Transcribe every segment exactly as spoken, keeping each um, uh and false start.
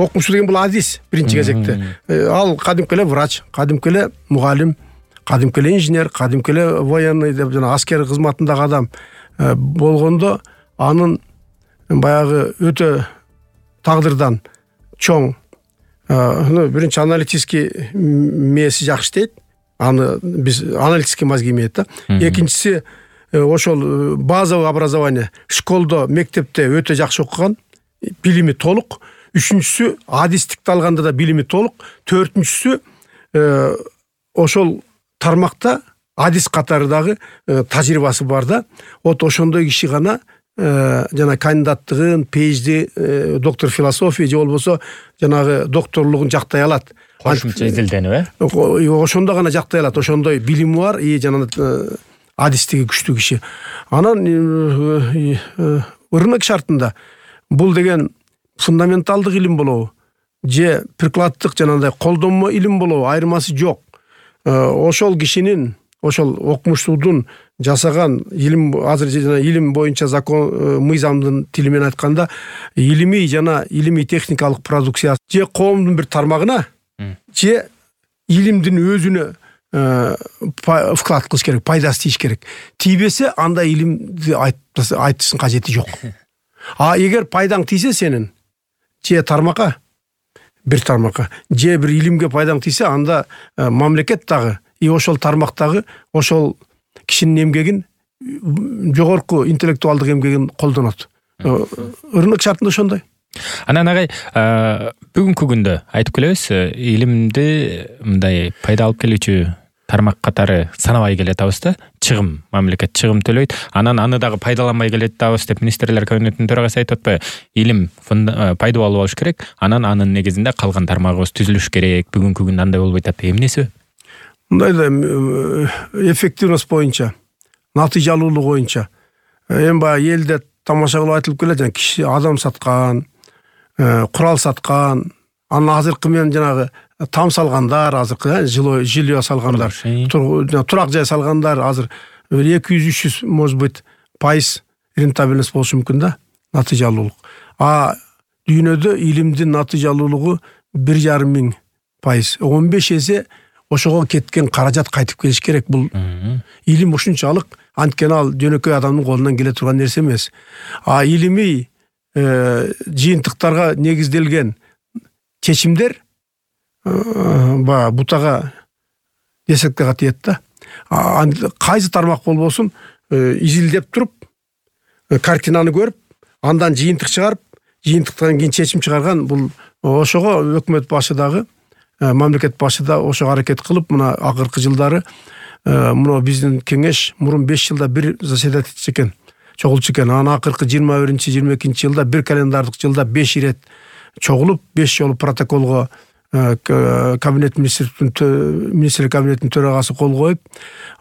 окумуш деген бул адис биринчи кезекте. Ал кадимки эле врач, кадимки эле мугалим, кадимки эле инженер, кадимки эле военный деп жана аскер кызматындагы адам болгондо анын баягы өтө тагдырдан чоң биринчи аналитический мээси жакшы иштейт. Аны биз аналитический мозги имеет да. Экинчиси ошол базовый образование, школдо, мектепте өтө жакшы окуган, билими толук. Үчүнчүсү адистикти алганда да билими толук. Төртүнчүсү ошол тармакта адис катары дагы тажрыйбасы бар да. Вот ошондой киши гана жана кандидаттыгын, PhD, доктор философия же болбосо жанагы докторлугун жактай алат. Кошумча изилденүү, э? Ошондо гана жактай алат. Ошондой билими бар и жана адистиги күчтүү киши. Анан ырмек шартында бул деген фундаменталдык илим болобу же прикладдык жанагындай колдонмо илим болобу, айырмасы жок. Ошол кишинин, ошол окумуштуудун жасаган илим, азыр жана илим боюнча закон мыйзамдын тили менен айтканда, илимий жана илимий техникалык продукция же коомдун бир тармагына же илимдин өзүнө вклад кылыш керек, пайдасы тийиш керек. Тийбесе анда илимди айтыштын кажети жок. А эгер пайдаң тийсе сенин же тармакка, бир тармакка, же бир илимге пайдаң тийсе, анда мамлекет дагы и ошол тармактагы ошол кишинин эмгегин, жогорку интеллектуалдык эмгегин колдонот. Ырмек шартында ошондой. Анан агай, бүгүнкү күндө айтып келебиз, илимди мындай пайда алып келүүчү тармак катары санабай келатабыз да, чыгым, мамлекет чыгым төлөйт. Анан аны дагы пайдаланбай келатабыз деп министрлер кабинетинин төрагасы айтып атпайбы? Илим пайдалуу болуш керек, анан анын негизинде калган тармагыбыз түзүлүш керек. Бүгүнкү күндө андай болбой атат. Эмнеси? Мындай да эффективность боюнча, натыйжалуулук боюнча эми баягы элде тамаша кылып айтылып келет, жана киши адам саткан, курал саткан, анан азыркы менен жанагы там салгандар, азыркы жилье салгандар, турак жай салгандар азыр эки жүз үч жүз может быть пайыз рентабельность болушу мүмкүн да, натыйжалуулук. А дүйнөдө илимдин натыйжалуулугу бир жарым миң пайыз, он беш эсе ошого кеткен каражат кайтып келиш керек. Бул илим ушунчалык, анткени ал жөнөкөй адамдын колунан келе турган нерсе эмес. А илимий жыйынтыктарга негизделген чечимдер ба бутага десекке тиет да. Кайсы тармак болбосун изилдеп туруп, картинаны көрүп, андан жыйынтык чыгарып, жыйынтыктан кийин чечим чыгарган, бул ошого өкмөт башы дагы, мамлекет башы да ошого аракет кылып, мына акыркы жылдары мына биздин кеңеш мурун беш жылда бир заседать этчү экен, чогулчу экен. Анан акыркы жыйырма биринчи жыйырма экинчи жылда бир календардык жылда беш ирет чогулуп, беш жолу протоколго кабинет министрлер кабинетинин төрагасы кол коюп,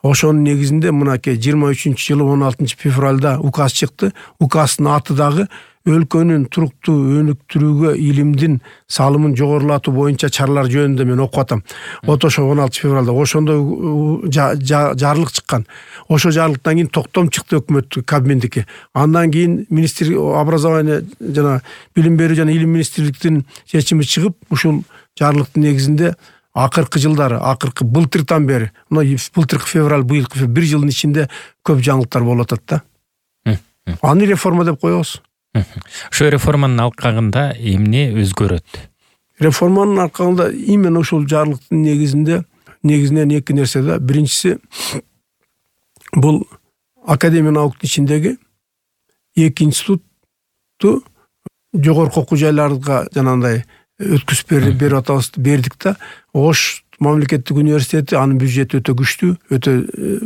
ошонун негизинде мынакей жыйырма үчүнчү жылы он алтынчы февралда указ чыкты. Указдын аты дагы өлкөнүн туруктуу өнүктүрүүгө илимдин салымын жогорулатуу боюнча чаралар жөнүндө мен окуп атам. Вот ошо он алтынчы февралда ошондой жарлык чыккан. Ошо жарлыктан кийин токтом чыкты өкмөт кабминдики. Андан кийин министр образование жана билим берүү жана илим министрликтин чечими чыгып, ушул жарлыктын негизинде акыркы жылдары, акыркы былтыртан бери, мына былтыркы февраль, быйылкы бир жылдын ичинде көп жаңылыктар болуп атат да. Аны реформа деп коебуз. Ошо реформанын алкагында эмне өзгөрөт? Реформанын алкагында именно ушул жарлыктын негизинде негизинен эки нерсе да. Биринчиси, бул академия науктун ичиндеги эки институтту жогорку окуу жайларга жанагындай өткүзүп берип атабыз, бердик да. Ош мамлекеттик университети, анын бюджети өтө күчтүү, өтө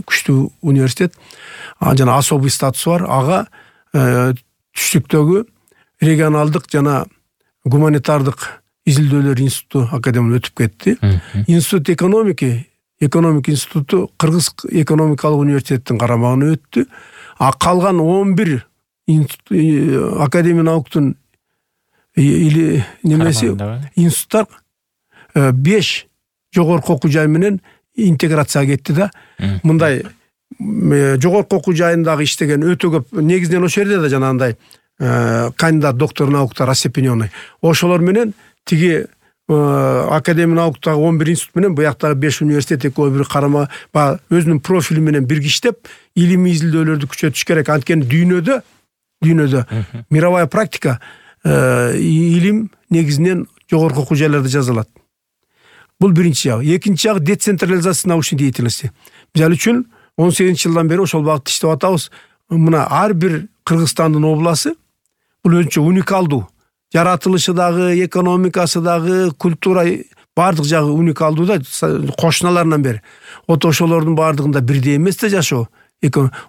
күчтүү университет. Жана особый статусу бар. Ага түштүктөгү регионалдык жана гуманитардык изилдөөлөр институту академия өтүп кетти. Институт экономики, экономик институту Кыргыз экономикалык университеттин карамагына өттү. А калган он бир академия науктун или немеси институттар беш жогорку окуу жай менен интеграцияга кетти да. Мындай жогорку окуу жайындагы иштеген өтө көп, негизинен ошол жерде да жанагындай кандидат доктор науктар остепенённый. Ошолор менен тиги академия науктагы он бир институт менен буяктагы беш университет экөө бири карама баягы өзүнүн профили менен биргиштеп илимий изилдөөлөрдү күчөтүш керек. Анткени дүйнөдө дүйнөдө мировая практика илим негизинен жогорку окуу жайларда жазылат. Бул биринчи жагы. Экинчи жагы децентрализация научной деятельности. Мисалы үчүн он сегизинчи жылдан бери ошол багытта иштеп атабыз. Мына ар бир Кыргызстандын обласы бул өзүнчө уникалдуу. Жаратылышы дагы, экономикасы дагы, культура бардык жагы уникалдуу да, кошуналарынан бери. Вот ошолордун бардыгында бирдей эмес да жашоо.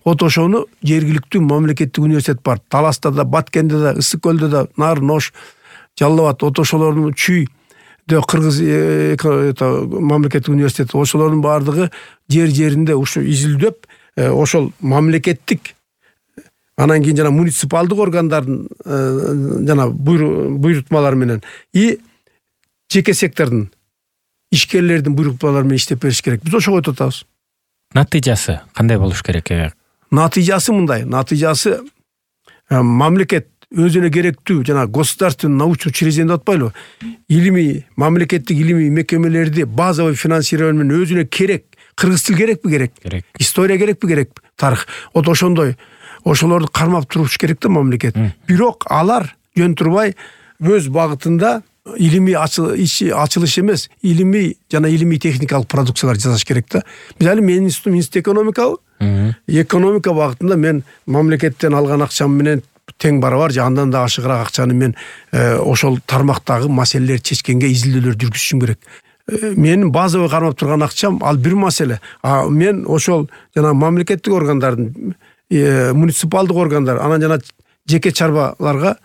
Вот ошону жергиликтүү мамлекеттик университет бар. Таласта да, Баткенде да, Ысык көлдө да, Нарын, Ош, Жалал Абад, вот ошолордун Чүй де Кыргыз мамлекеттик университет, ошолордун бардыгы жер-жеринде ушу изилдөп, ошол мамлекеттик анан кийин жана муниципалдык органдардын жана буйрутмалары менен и жеке сектордун ишкерлердин буйрутмалары менен иштеп бериш керек. Биз ошого өтүп атабыз. Натыйжасы кандай болуш керек? Натыйжасы мындай. Натыйжасы мамлекет өзүнө керектүү жана государственный научный учреждение деп атпайлыбы? Илимий, мамлекеттик илимий мекемелерди базовый финансирование менен өзүнө керек. Кыргыз тил керекпи? Керек. Керек. История керекпи? Керек. Тарых. Вот ошондой ошолорду кармап туруш керек да мамлекет. Бирок алар жөн турбай өз багытында илимий ачылыш эмес, илимий жана илимий техникалык продукциялар жасаш керек да. Мисалы менин институт экономикабы. Экономика багытында мен мамлекеттен алган акчам менен тең барабар же андан да ашыгыраак акчаны мен ошол тармактагы маселелерди чечкенге изилдөөлөр жүргүзүшүм керек. Менин базовый кармап турган акчам ал бир маселе. А мен ошол жана мамлекеттик органдардын муниципалдык органдар, анан жана жеке чарбаларга,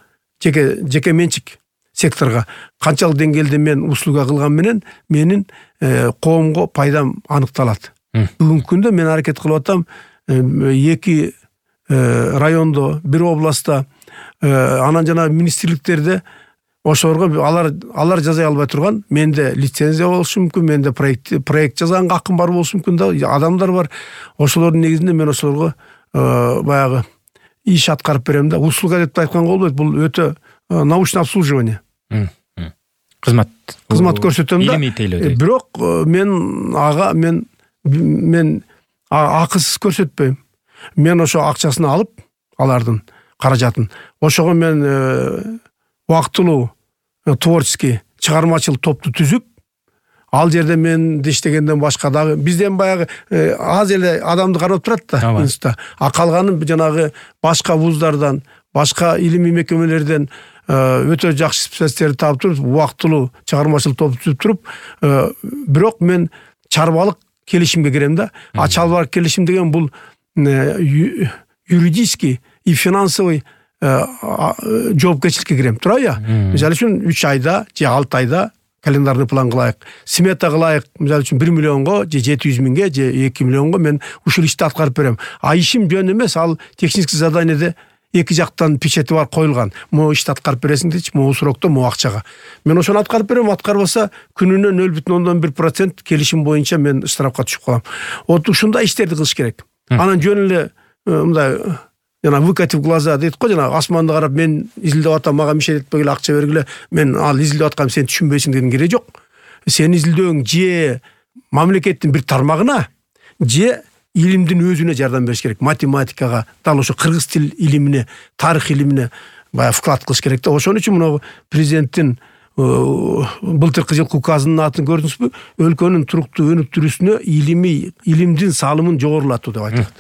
жеке жеке менчик секторго канчалык деңгээлде мен услуга кылган менен менин коомго пайдам аныкталат. Бүгүнкү күндө мен аракет кылып атам эки райондо, бир областта, анан жана министрликтерде ошолорго алар алар жаза албай турган, менде лицензия болушу мүмкүн, менде проект проект жазганга акым бар болушу мүмкүн да, адамдар бар. Ошолордун негизинде мен ошолорго баягы иш аткарып берем да. Услуга деп айтканга болбойт, бул өтө научный обслуживание. Кызмат кызмат көрсөтөм да. Бирок мен ага мен мен акысыз көрсөтпөйм. Мен ошо акчасын алып, алардын каражатын. Ошого мен убактылуу творческий чыгармачыл топту түзүп, ал жерде мен иштегенден башка дагы бизден баягы аз эле адамды карап турат да институтта. А калганын жанагы башка вуздардан, башка илимий мекемелерден өтө жакшы специалисттерди таап туруп, убактылуу чыгармачыл топ түзүп туруп, бирок мен чарбалык келишимге кирем да. А чарбалык келишим деген бул юридический и финансовый жоопкерчиликке кирем. Турайбы? Мисалы үчүн үч айда же алты айда календарный план кылайык, смета кылайык, мисалы үчүн бир миллионго же жети жүз миңге же эки миллионго мен ушул ишти аткарып берем. А ишим жөн эмес, ал технический заданиеде эки жактан печати бар коюлган. Могу ишти аткарып бересиң дейчи, могу срокто, могу акчага. Мен ошону аткарып берем, аткарбаса күнүнө нөл бүтүн ондон бир процент келишим боюнча мен штрафка түшүп калам. Вот ушундай иштерди кылыш керек. Анан жөн эле мындай жана выкатив глаза дейт го, жана асманды карап мен изилдеп атам, мага мишет этпегиле, акча бергиле, мен ал изилдеп аткам, сен түшүнбөйсүң деген кереги жок. Сен изилдөөң же мамлекеттин бир тармагына, же илимдин өзүнө жардам бериш керек. Математикага, дал ошо кыргыз тил илимине, тарых илимине баягы вклад кылыш керек да. Ошон үчүн мына президенттин былтыркы жылкы указынын атын көрдүңүзбү? Өлкөнүн туруктуу өнүктүрүүсүнө илимий илимдин салымын жогорулатуу деп айтылат.